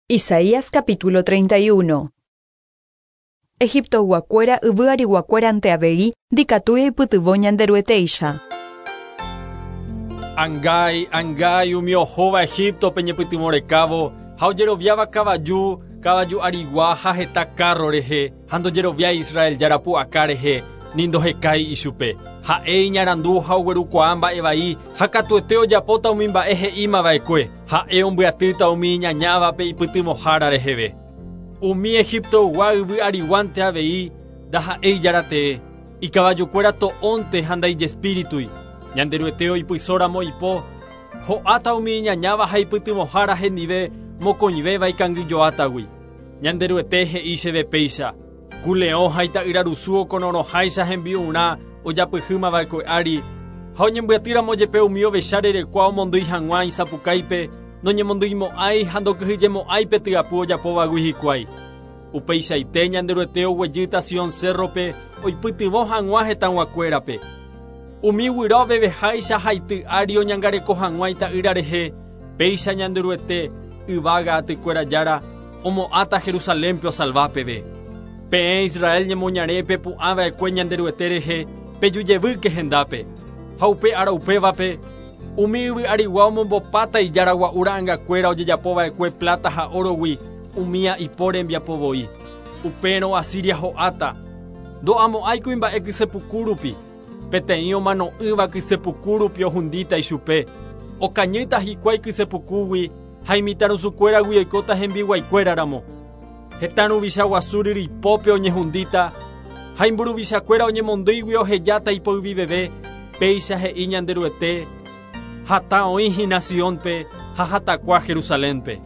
Isaías capítulo 31. Egiptoyguakuéra yvy ariguakuérante avei ndikatúi oipytyvõ Ñanderuetéicha. Angái, angái umi ohóva Egíptope ñepytyvõ rekávo ha ojeroviáva kavaju, kavaju arigua ha heta kárro rehe, ha ndojeroviái Israel Jára pu'aka rehe, ni ndohekái ichupe. Ha'e iñarandu ha oguerukuaa mba'e vai, ha katuete ojapóta umi mba'e he'íma va'ekue. Ha'e ombyatýta umi iñañávape ipytyvõhára reheve. Umi Egiptoygua yvy ariguánte avei ndaha'éi Jára tee, ikavajukuéra to'ónte ha ndaijespíritui. Ñanderuete oipysóramo ipo, ho'áta umi iñañáva ha ipytyvõhára hendive mokõivéva ikangyjoátagui. Ñanderuete he'i chéve péicha, Ku leõ ha ita'yrarusu okororõháicha hembi'urã ojapyhýma va'ekue ári, ha oñembyatýramo jepe umi ovecha rerekua omondýi hag̃ua isapukáipe, noñemondyimo'ãi ha ndokyhyjemo'ãi pe tyapu ojapóvagui hikuái. Upeichaite Ñanderuete oguejýta Sion cérrope oipytyvõ hag̃ua hetãguakuérape. Umi guyra oveveháicha haity ári oñangareko hag̃ua ita'ýra rehe, péicha Ñanderuete, yvága atykuéra Jára, omo'ãta Jerusalénpe osalva peve. Peẽ Israel ñemoñare pepu'ã va'ekue Ñanderuete rehe, peju jevýke hendápe. Ha upe ára upévape, umi yvy arigua omombopáta ijára gua'u ra'angakuéra ojejapo va'ekue pláta ha órogui, umía ipo rembiapo voi. Upérõ Asiria ho'áta, ndo'amo'ãi kuimba'e kysepuku rupi, peteĩ omano'ỹva kysepuku rupi ohundíta ichupe, okañýta hikuái kysepukúgui ha imitãrusukuéragui oikóta hembiguaikuéra ramo. Hetã ruvicha guasu ryripópe oñehundíta, ha imburuvichakuéra oñemondýigui ohejáta ipoyviveve, péicha he'i Ñanderuete, Hatã oĩ hína Siónpe ha hatakua Jerusalénpe.